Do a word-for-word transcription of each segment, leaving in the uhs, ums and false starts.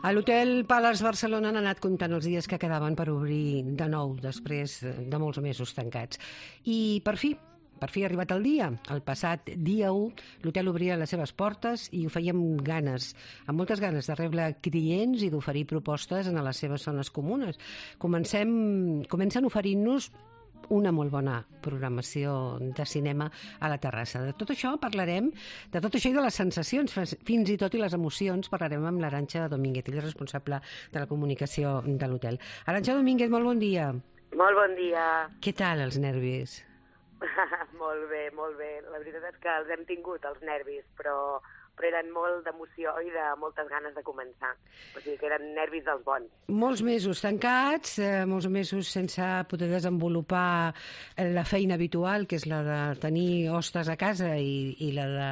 A l'Hotel Palace Barcelona han anat comptant els dies que quedaven per obrir de nou, després de molts mesos tancats. I per fi, per fi ha arribat el dia. El passat dia u, l'hotel obria les seves portes i ho feia amb ganes, amb moltes ganes de rebre clients i d'oferir propostes en les seves zones comunes. Comencem, comencen oferint-nos una molt bona programació de cinema a la terrassa. De tot això parlarem, de tot això i de les sensacions, fins i tot i les emocions, parlarem amb l'Arantxa Domínguez, ella és responsable de la comunicació de l'hotel. Arantxa Domínguez, molt bon dia. Molt bon dia. Què tal els nervis? Molt bé, molt bé. La veritat és que els hem tingut, els nervis, però, però eren molt d'emoció i de moltes ganes de començar. O sigui que eren nervis dels bons. Molts mesos tancats, eh, molts mesos sense poder desenvolupar la feina habitual, que és la de tenir hostes a casa i, i la de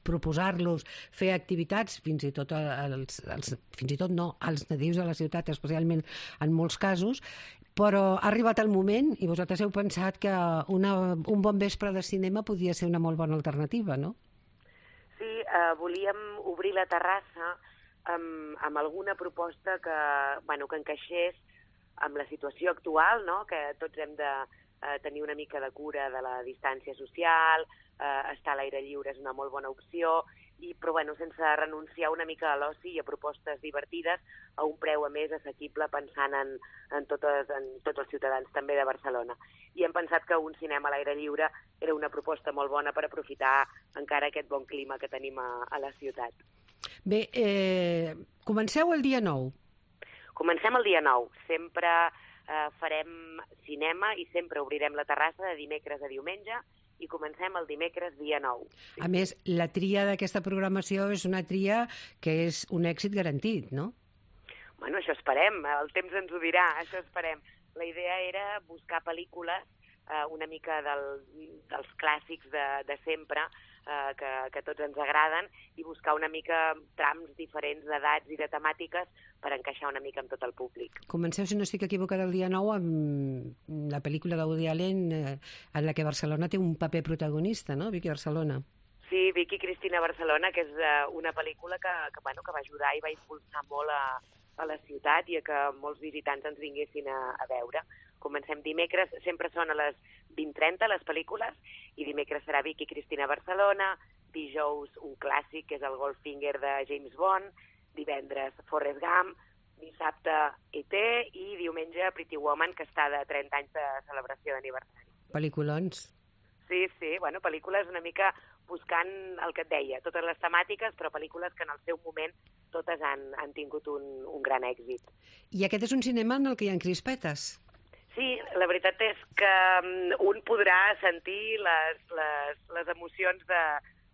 proposar-los fer activitats, fins i tot els, els, fins i tot no, als nadius de la ciutat, especialment en molts casos, però ha arribat el moment i vosaltres heu pensat que una, un bon vespre de cinema podia ser una molt bona alternativa, no? Sí, eh, volíem obrir la terrassa amb, amb alguna proposta que, bueno, que encaixés amb la situació actual, no? Que tots hem de eh, tenir una mica de cura de la distància social, eh, estar a l'aire lliure és una molt bona opció, i, però bueno, sense renunciar una mica a l'oci i a propostes divertides a un preu a més assequible pensant en, en, totes, en tots els ciutadans també de Barcelona. I hem pensat que un cinema a l'aire lliure era una proposta molt bona per aprofitar encara aquest bon clima que tenim a, a la ciutat. Bé, eh, comenceu el dia nou. Comencem el dia nou. Sempre eh, farem cinema i sempre obrirem la terrassa de dimecres a diumenge i comencem el dimecres dia nou. Sí. A més, la tria d'aquesta programació és una tria que és un èxit garantit, no? Bueno, això esperem, el temps ens ho dirà, això esperem. La idea era buscar pel·lícules eh, una mica del, dels clàssics de, de sempre, eh, que, que tots ens agraden, i buscar una mica trams diferents d'edats i de temàtiques per encaixar una mica amb tot el públic. Comenceu, si no estic equivocada, el dia nou amb la pel·lícula de Woody Allen eh, en la que Barcelona té un paper protagonista, no? Vicky Barcelona. Sí, Vicky Cristina Barcelona, que és eh, una pel·lícula que, que, bueno, que va ajudar i va impulsar molt a, a la ciutat i a que molts visitants ens vinguessin a, a veure. Comencem dimecres, sempre són a les vint trenta les pel·lícules, i dimecres serà Vicky Cristina Barcelona, dijous un clàssic, que és el Goldfinger de James Bond, divendres Forrest Gump, dissabte E T i diumenge Pretty Woman, que està de trenta anys de celebració d'aniversari. Pel·lículons. Sí, sí, bueno, pel·lícules una mica buscant el que et deia, totes les temàtiques, però pel·lícules que en el seu moment totes han, han tingut un, un gran èxit. I aquest és un cinema en el que hi ha crispetes. Sí, la veritat és que un podrà sentir les, les, les emocions de,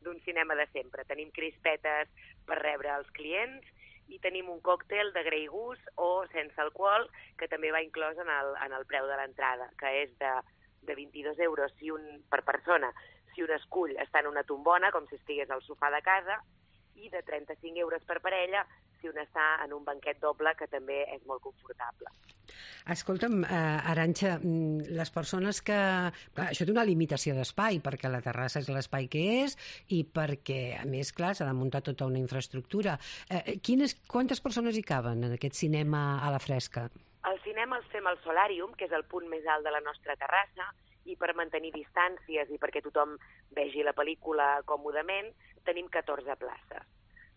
d'un cinema de sempre. Tenim crispetes per rebre els clients i tenim un còctel de grey goose o sense alcohol, que també va inclòs en el, en el preu de l'entrada, que és de, de vint-i-dos euros si un, per persona, si un escull està en una tombona, com si estigués al sofà de casa, i de trenta-cinc euros per parella si un està en un banquet doble, que també és molt confortable. Escolta'm, eh, Arantxa, les persones que... Clar, això té una limitació d'espai, perquè la terrassa és l'espai que és i perquè, a més, clar, s'ha de muntar tota una infraestructura. Eh, quines, quantes persones hi caben en aquest cinema a la fresca? El cinema el fem al Solàrium, que és el punt més alt de la nostra terrassa, i per mantenir distàncies i perquè tothom vegi la pel·lícula còmodament, tenim catorze places.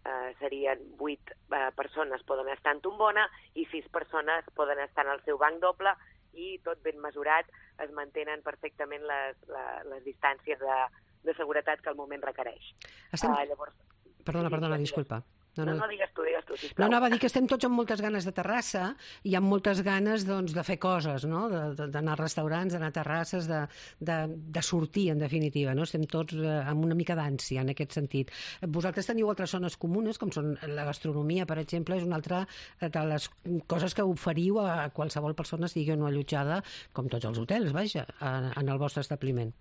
Uh, serien vuit uh, persones poden estar en tombona i sis persones poden estar en el seu banc doble, i tot ben mesurat, es mantenen perfectament les, les, les distàncies de, de seguretat que el moment requereix. Estem... Uh, llavors... Perdona, perdona, disculpa. No, no, no, digues tu, digues tu, sisplau. No, anava a dir que estem tots amb moltes ganes de terrassa i amb moltes ganes, doncs, de fer coses, no? D'anar a restaurants, d'anar a terrasses, de, de, de sortir, en definitiva, no? Estem tots eh, amb una mica d'ànsia, en aquest sentit. Vosaltres teniu altres zones comunes, com són la gastronomia, per exemple, és una altra de les coses que oferiu a qualsevol persona estigui o no allotjada, com tots els hotels, vaja, en el vostre establiment.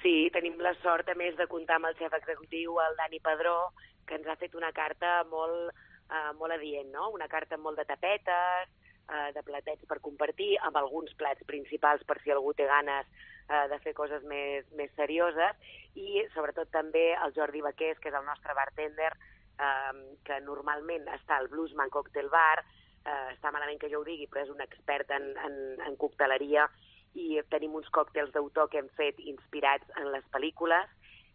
Sí, tenim la sort, a més, de comptar amb el xef executiu, el Dani Padró, que ens ha fet una carta molt, eh, molt adient, no? Una carta amb molt de tapetes, eh, de platets per compartir, amb alguns plats principals per si algú té ganes eh, de fer coses més, més serioses, i sobretot també el Jordi Baqués, que és el nostre bartender, eh, que normalment està al Bluesman Cocktail Bar, eh, està malament que jo ho digui, però és un expert en, en, en cocteleria, i tenim uns còctels d'autor que hem fet inspirats en les pel·lícules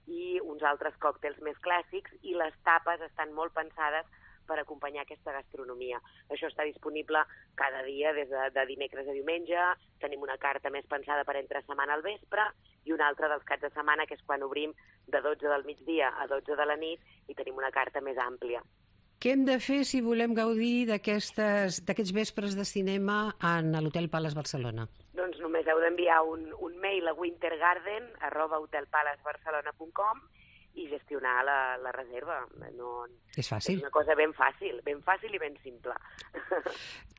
i uns altres còctels més clàssics, i les tapes estan molt pensades per acompanyar aquesta gastronomia. Això està disponible cada dia, des de, de dimecres a diumenge. Tenim una carta més pensada per entre setmana al vespre i una altra dels caps de setmana, que és quan obrim de dotze del migdia a dotze de la nit, i tenim una carta més àmplia. Què hem de fer si volem gaudir d'aquests vespres de cinema en l'Hotel Palace Barcelona? Doncs només heu d'enviar un, un mail a wintergarden arroba hotel palace barcelona punt com i gestionar la, la reserva. No, és fàcil. És una cosa ben fàcil, ben fàcil i ben simple.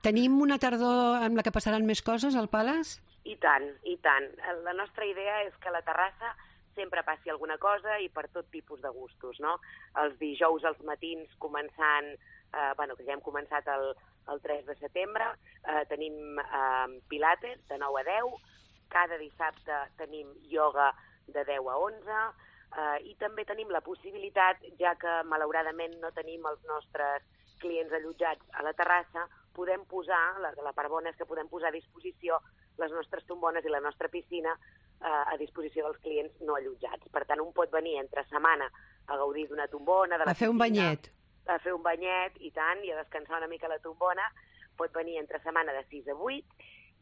Tenim una tardor amb la que passaran més coses al Palace? I tant, i tant. La nostra idea és que a la terrassa sempre passi alguna cosa i per tot tipus de gustos, no? Els dijous als matins començant, eh, bueno, que ja hem començat el, el tres de setembre, eh, tenim eh, pilates de nou a deu, cada dissabte tenim ioga de deu a onze, eh, i també tenim la possibilitat, ja que malauradament no tenim els nostres clients allotjats a la terrassa, podem posar, la, la part bona és que podem posar a disposició les nostres tombones i la nostra piscina eh, a disposició dels clients no allotjats. Per tant, un pot venir entre setmana a gaudir d'una tombona, de la a fer un piscina, banyet. A fer un banyet, i tant, i a descansar una mica la tombona. Pot venir entre setmana de sis a vuit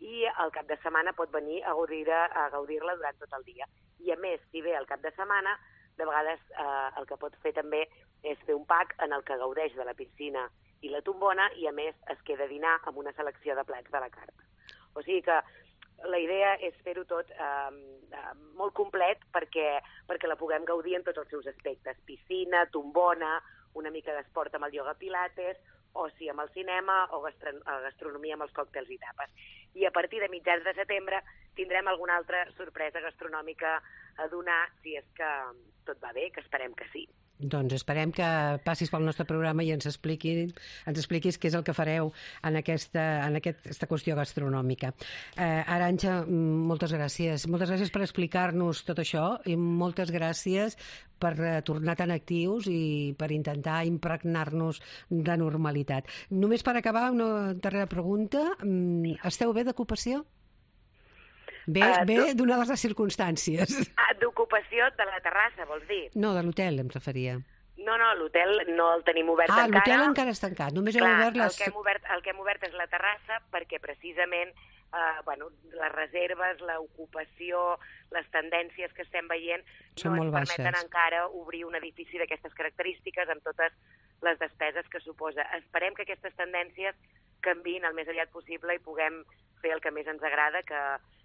i al cap de setmana pot venir a gaudir-la a gaudir-la durant tot el dia. I a més, si ve al cap de setmana, de vegades eh, el que pot fer també és fer un pack en el que gaudeix de la piscina i la tombona i a més es queda a dinar amb una selecció de plats de la carta. O sigui que la idea és fer-ho tot eh, molt complet perquè, perquè la puguem gaudir en tots els seus aspectes. Piscina, tombona, una mica d'esport amb el ioga pilates, oci amb el cinema o gastronomia amb els còctels i tapes. I a partir de mitjans de setembre tindrem alguna altra sorpresa gastronòmica a donar, si és que tot va bé, que esperem que sí. Doncs esperem que passis pel nostre programa i ens, expliquin, ens expliquis què és el que fareu en aquesta, en aquesta qüestió gastronòmica. Eh, Arantxa, moltes gràcies. Moltes gràcies per explicar-nos tot això i moltes gràcies per tornar tan actius i per intentar impregnar-nos de normalitat. Només per acabar, una darrera pregunta. Esteu bé d'ocupació? Bé, uh, bé donades les circumstàncies. Ah, d'ocupació de la terrassa, vols dir? No, de l'hotel em referia. No, no, l'hotel no el tenim obert ah, encara. Ah, l'hotel encara està tancat. Només Clar, heu obert les... el, que hem obert, el que hem obert és la terrassa perquè precisament eh, bueno, les reserves, l'ocupació, les tendències que estem veient Són no ens molt permeten baixes. encara obrir un edifici d'aquestes característiques amb totes les despeses que suposa. Esperem que aquestes tendències canviïn el més aviat possible i puguem fer el que més ens agrada, que,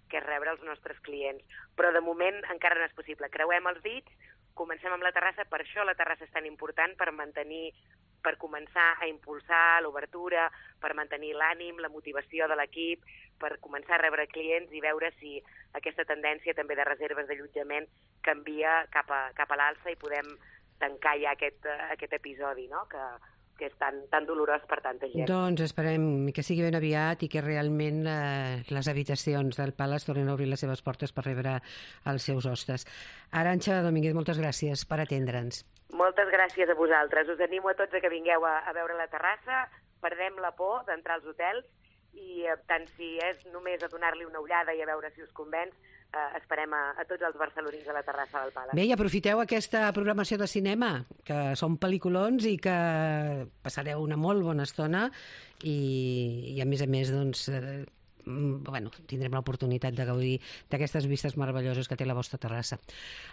que és rebre els nostres clients. Però de moment encara no és possible. Creuem els dits, comencem amb la terrassa, per això la terrassa és tan important, per mantenir, per començar a impulsar l'obertura, per mantenir l'ànim, la motivació de l'equip, per començar a rebre clients i veure si aquesta tendència també de reserves d'allotjament canvia cap a, cap a l'alça i podem tancar ja aquest, aquest episodi, no?, que, que és tan, tan dolorós per tanta gent. Doncs esperem que sigui ben aviat i que realment eh, les habitacions del Palace tornin a obrir les seves portes per rebre els seus hostes. Arantxa Domínguez, moltes gràcies per atendre'ns. Moltes gràcies a vosaltres. Us animo a tots a que vingueu a, a veure la terrassa, perdem la por d'entrar als hotels i eh, tant si és només a donar-li una ullada i a veure si us convenç, eh, esperem a, a tots els barcelonins a la terrassa del Palace. Bé, i aprofiteu aquesta programació de cinema, que són pel·lículons i que passareu una molt bona estona i, i a més a més, doncs, eh, bueno, tindrem l'oportunitat de gaudir d'aquestes vistes meravelloses que té la vostra terrassa.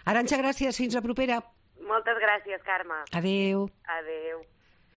Arantxa, gràcies, fins la propera. Moltes gràcies, Carme. Adéu. Adéu.